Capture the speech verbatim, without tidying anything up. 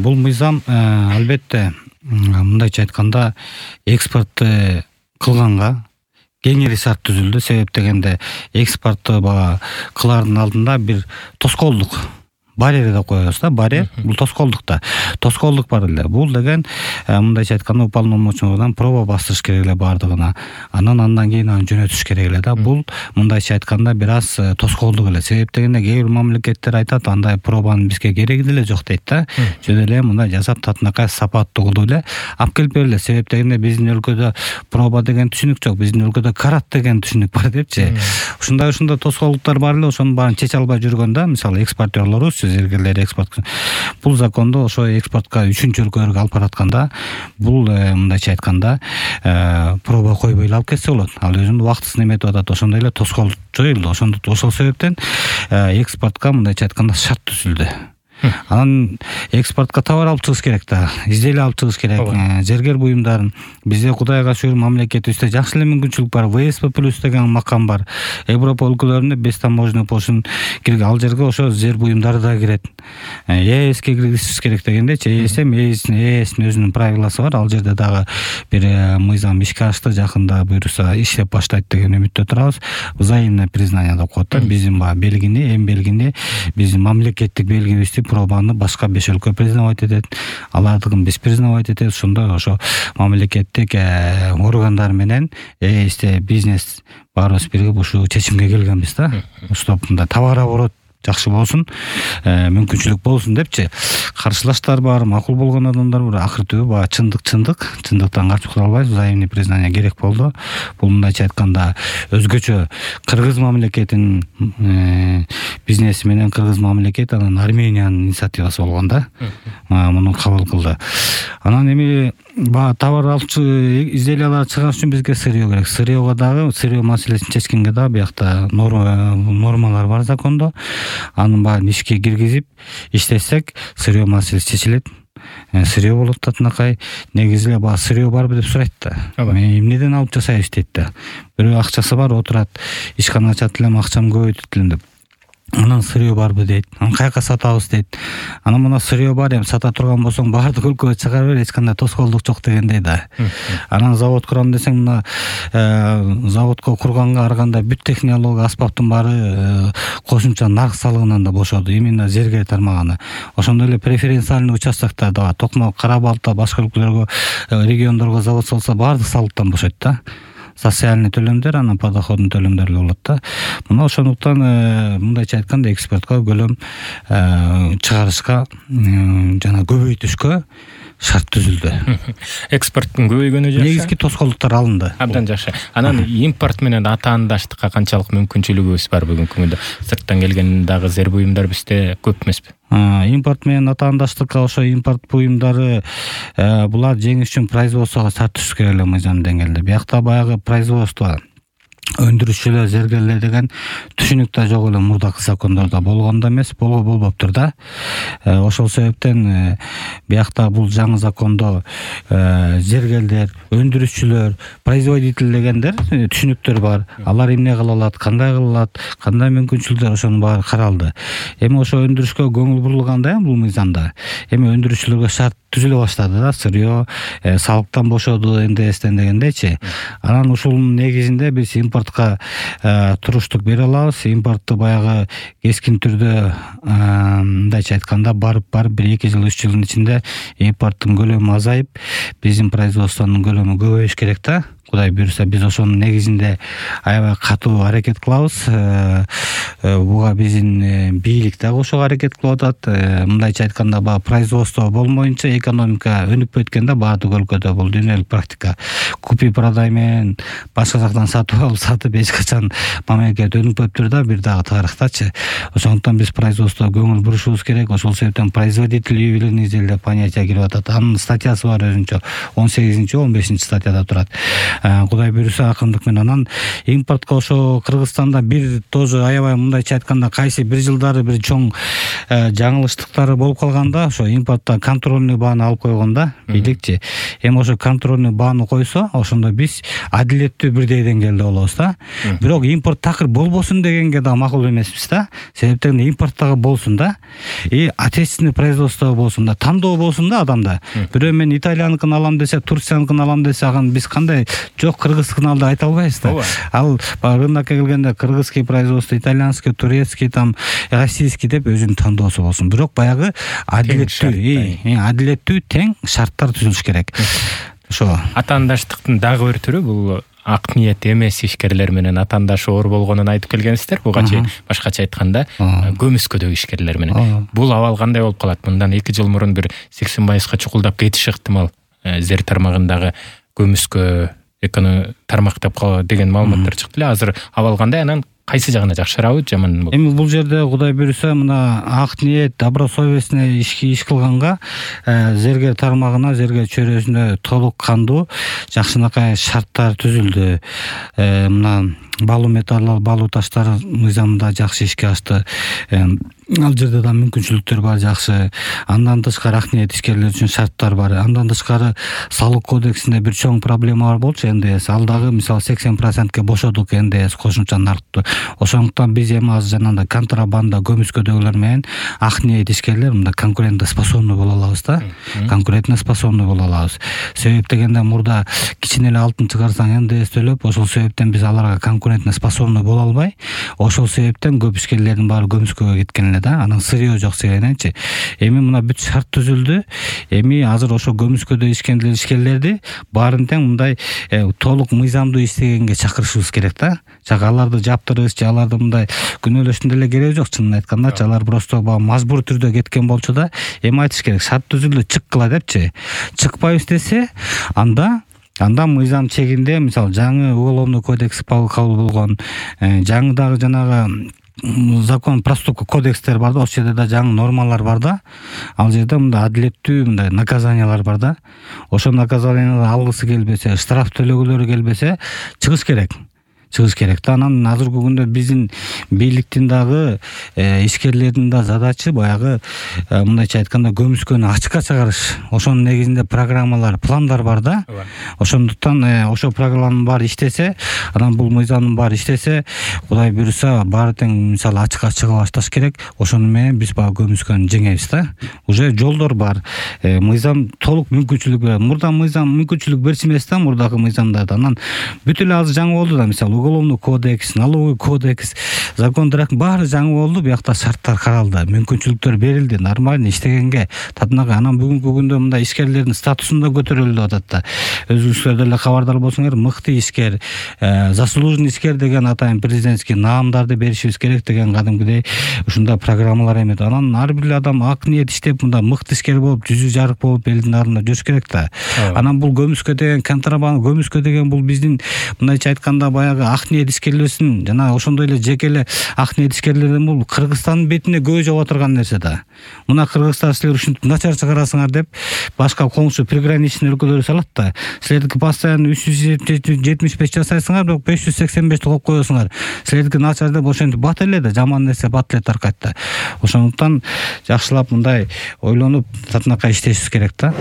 бул мыйзам албетте мындайча айтканда экспортты кылганга кеңири шарт түзүлдү. Себеп дегенде экспортту бага кылаардын алдында бир тоскоолдук барьер деп коебуз да, барьер. Бул тоскоолдук да. Тоскоолдук бар эле. Бул деген мындайча айтканда уполномоченныйдан проба бастырыш керек эле бардыгына. Анан андан кийин аны жөнөтүш керек эле да. Бул мындайча айтканда бир аз тоскоолдук эле. Себеп дегенде кээ бир мамлекеттер айтат, андай пробанын бизге кереги деле жок дейт да. Жөн эле мындай жасап татынакай сапаттуу кылып эле алып келип берилет. Себеп дегенде биздин өлкөдө проба деген түшүнүк жок. Биздин өлкөдө карат деген түшүнүк бар депчи. Ушундай ушундай тоскоолдуктар бар эле. Ошонун баарын чече албай жүргөндө, мисалы экспортерлорубуз, зергерлер экспорт. Бул закондо ошо экспортко үчүнчү өлкөлөргө алып баратканда бул мындайча айтканда проба койбой эле алып кетсе болот. Ал өзүнүн убактысын эметип атат. Ошондой эле тоскоолдук жоюлду. Ошондо ошол себептен экспортко мындайча айтканда шарт түзүлдү. Анан экспортко товар алып чыгыш керек да, изделие алып чыгыш керек. Зергер буюмдарын бизде Кудайга шүгүр мамлекетибизде жакшы эле мүмкүнчүлүк бар. вэ эс пэ плюс деген макам бар. Европа өлкөлөрүндө без таможенный пошлин кирген, ал жерге ошо зер буюмдары да кирет. е эске киргизиш керек дегендечи, е эс эм е эстин өзүнүн правиласы бар. Ал жерде дагы бир мыйзам ишке ашты, жакында буюрса иштеп баштайт деген үмүттө турабыз. Взаимное признание деп коет да. Биздин баа белгини, эм белгини, биздин мамлекеттик белгибизди пробаны башка беш өлкө признавать этет, алардыгын биз признавать этет. Ошондой ошо мамлекеттик органдар менен е эсте бизнес баарыбыз биригип ушул чечимге келгенбиз да. Ошто товар оборот жакшы болсун, мүмкүнчүлүк болсун депчи. Каршылаштар бар, макул болгон адамдар бар. Акыр түбү баа чындык чындык, чындыктан качып кала албайбыз. Взаимный признание керек болду. Бул мындайча айтканда өзгөчө кыргыз мамлекетинин бизнеси менен кыргыз мамлекет анан Армениянын инициативасы болгон да. Муну кабыл кылды. Анан эми баа товар алчы изделиялар чыгаш үчүн бизге сырьё керек. Сырьёго дагы сырьё маселесин чечкенге дагы биякта нормалар бар закондо. Анын баарын ишке киргизип иштесек, сырьё маселеси чечилет. Сырьё болот татынакай. Негизи эле баа сырьё барбы деп сурайт да. Мен эмнеден алып жасайбыз дейт да. Бирөө акчасы бар, отурат, ишкана ачат элем, акчам көбөйтөт элем деп. Анан сырьё барбы дейт. Анан каяка сатабыз дейт. Анан мына сырьё бар, эми сата турган болсоң баардык өлкөгө чыгара бер, эч кандай тоскоолдук жок дегендей да. Анан завод курам десең, мына заводко курганга ар кандай бүт технология, аспаптын баары кошумча нарк салыгынан да бошоду, именно зергер тармагына. Ошондой эле преференциальный участоктор да, Токмо, Кара Балта, башка өлкөлөргө, региондорго завод салса баардык салыктан бошойт да. Социальный төлөмдөр, анан подоходный төлөмдөр болот да. Мына ошондуктан мындайча айтканда экспортко көлөм чыгарышка жана көбөйтүшкө шарт түзүлдү. Экспорттун көбөйгөнү жакшы. Негизги тоскоолдуктар алынды. Абдан жакшы. Анан импорт менен атаандаштыкка канчалык мүмкүнчүлүгүбүз бар бүгүнкү күндө? Сырттан келген дагы зер буюмдар бизде көп эмеспи? Импорт менен атаандаштыкка ошо импорт буюмдары булар жеңиш үчүн производствого шарт түзүш керек эле мыйзам деңгээлде. Биякта баягы производство өндүрүшчүлөр, зергерлер деген түшүнүк да жок эле мурдакы закондордо болгон да эмес, болго болбоптур да. Ошол себептен биякта бул жаңы закондо зергерлер, өндүрүшчүлөр, производитель дегендер түшүнүктөр бар. Алар эмне кыла алат, кандай кыла алат, кандай мүмкүнчүлүктөр, ошонун баары каралды. Эми ошо өндүрүшкө көңүл бурулганда бул мыйзамда эми өндүрүшчүлөргө шарт түзүлө баштады да. Сырьё салыктан бошоду, эн дэ эстен дегендейчи. Анан ушунун негизинде биз импортко туруштук бере алабыз. Импортты баягы кескин түрдө мындайча айтканда барып барып бир эки жыл, үч жылдын ичинде импорттун көлөмү азайып, биздин производствонун көлөмү көбөйүш керек да. Кудай буюрса биз ошонун негизинде аябай катуу аракет кылабыз. Буга биздин бийлик да кошо аракет кылып атат. Мындайча айтканда баа производство болмоюнча экономика өнүкпөй өткөндө баардык өлкөдө бул дүйнөлүк практика. Купи продай менен башка жактан сатып алып сатып эч качан мамлекет өнүкпөптүр да, бир дагы тарыхтачы. Ошондуктан биз производствого көңүл бурушубуз керек. Ошол себептен производитель ювелирный изделия деп понятие кирип атат. Анын статьясы бар өзүнчө. он сегизинчи, он бешинчи статьяда турат. Кудай буюрса акындык менен. Анан импортко ошо Кыргызстанда бир тоже аябай мындайча айтканда кайсы бир жылдары бир чоң жаңылыштыктары болуп калганда ошо импортто контрольный бааны алып койгондо бийликчи эми ошо контрольный бааны койсо ошондо биз адилеттүү бирдей деңгээлде болобуз да. Бирок импорт такыр болбосун дегенге да макул эмеспиз да. Себептен импорт дагы болсун да, и отечественный производство болсун да, тандоо болсун да адамда. Бирөө мен италияныкын алам десе, турцияныкын алам десе, аны биз кандай жок кыргызскын ал деп айта албайбыз да. Ал рынокко келгенде кыргызский производство, итальянский, турецкий, там российский деп өзүнүн тандоосу болсун. Бирок баягы адилеттүү, адилеттүү тең шарттар түзүлүш керек. Ошо атаандаштыктын дагы бир түрү бул ак ниет эмес ишкерлер менен атаандашы оор болгонун айтып келгенсиздер. Буга чейин башкача айтканда көмүскөдөгү ишкерлер менен. Бул абал кандай болуп калат? Мындан эки жыл мурун бир сексен пайызга чукулдап кетиши ыктымал. Зер тармагындагы көмүскө эконом тармак деп деген маалыматтар чыкты эле. Азыр абал кандай? Анан кайсы жагына жакшырабы, жаманбы? Эми бул жерде Кудай буйруса мына ак ниет, добросовестный иш иш кылганга зергер тармагына, зергер чөйрөсүнө толук кандуу жакшынакай шарттар түзүлдү. Мына балуу металлдар, балуу таштар мыйзамында жакшы ишке ашты. Ал жерде да мүмкүнчүлүктөр бар жакшы. Андан тышкары ак ниет ишкерлер үчүн шарттар бар. Андан тышкары салык кодексинде бир чоң проблема бар болчу эн дэ эс. Ал дагы мисалы сексен процентке бошодук эн дэ эс кошумча наркты. Ошондуктан биз эми азыр жанагындай контрабанда көмүскөдөгүлөр менен ак ниет ишкерлер мында конкурентоспособный боло алабыз да. Конкурентоспособный боло алабыз. Себеп дегенде мурда кичине эле алтын чыгарсаң эн дэ эс төлөп, ошол себептен биз аларга конкурентоспособный боло албай, ошол себептен көп ишкерлердин баары көмүскөгө кеткен эле да. Анан сырьё жок дегенчи. Эми мына бүт шарт түзүлдү. Эми азыр ошо көмүскөдө ишкендер ишкерлерди баарын тең мындай толук мыйзамдуу иштегенге чакырышыбыз керек да. Жак аларды жаптырыш, же аларды мындай күнөөлөштүн деле кереги жок. Чынын айтканда алар просто мажбур түрдө кеткен болчу да. Эми айтыш керек, шарт түзүлдү, чыккыла депчи. Чыкпайбыз десе, анда анда мыйзам чегинде, мисалы жаңы уголовный кодекс кабыл болгон, жаңы дагы жанагы закон проступка кодекстер бар да, ошол жерде да жаңы нормалар бар да. Ал жерде мындай адилеттүү мындай наказаниялар бар да. Ошол наказанияларды алгысы келбесе, штраф төлөгүлөрү келбесе, чыгыш керек. Чыгыш керек да. Анан азыркы күндө биздин бийликтин дагы ишкерлердин да задачасы баягы мындайча айтканда көмүскөнү ачыкка чыгарыш. Ошонун негизинде программалар, пландар бар да. Ошондуктан ошол программанын баары иштесе, анан бул мыйзамдын баары иштесе, Кудай буйруса баары тең мисалы ачыкка чыга башташ керек. Ошону менен биз баягы көмүскөнү жеңебиз да. Уже жолдор бар. Мыйзам толук мүмкүнчүлүк берет. Мурда мыйзам мүмкүнчүлүк берчү эмес да, мурдагы мыйзамдарда. Анан бүт эле азыр жаңы болду да, мисалы уголовный кодекс, налоговый кодекс, закондар баары жаңы болду. Биякта шарттар каралды, мүмкүнчүлүктөр берилди, нормально иштегенге татынакай. Анан бүгүнкү күндө мындай ишкерлердин статусун да көтөрүлүп атат да. Өзүңүздөр деле кабардар болсоңор, мыкты ишкер, заслуженный ишкер деген атайын президентский наамдарды беришибиз керек деген кадимкидей ушундай программалар эмет. Анан ар бир адам ак ниет иштеп мындай мыкты ишкер болуп, жүзү жарык болуп элдин алдында жүрүш керек да. Анан бул көмүскө деген контрабанда, көмүскө деген бул биздин мындайча айтканда баягы ак ниет ишкерлерсин, жана ошондой эле жеке эле ак ниет ишкерлердин бул Кыргызстандын бетине көз жауа турган нерсе да. Мына Кыргызстан силер ушинтип начар чыгарасыңар деп башка коңшу приграничный өлкөлөр салат да. Силердики постоянно үч жүз жетимиш беш жасайсыңар, бирок беш жүз сексен бешти коюп коесуңар. Силердики начар деп ошентип бат эле да, жаман нерсе бат эле таркайт да. Ошондуктан жакшылап мындай ойлонуп татынакай иштешибиз керек да.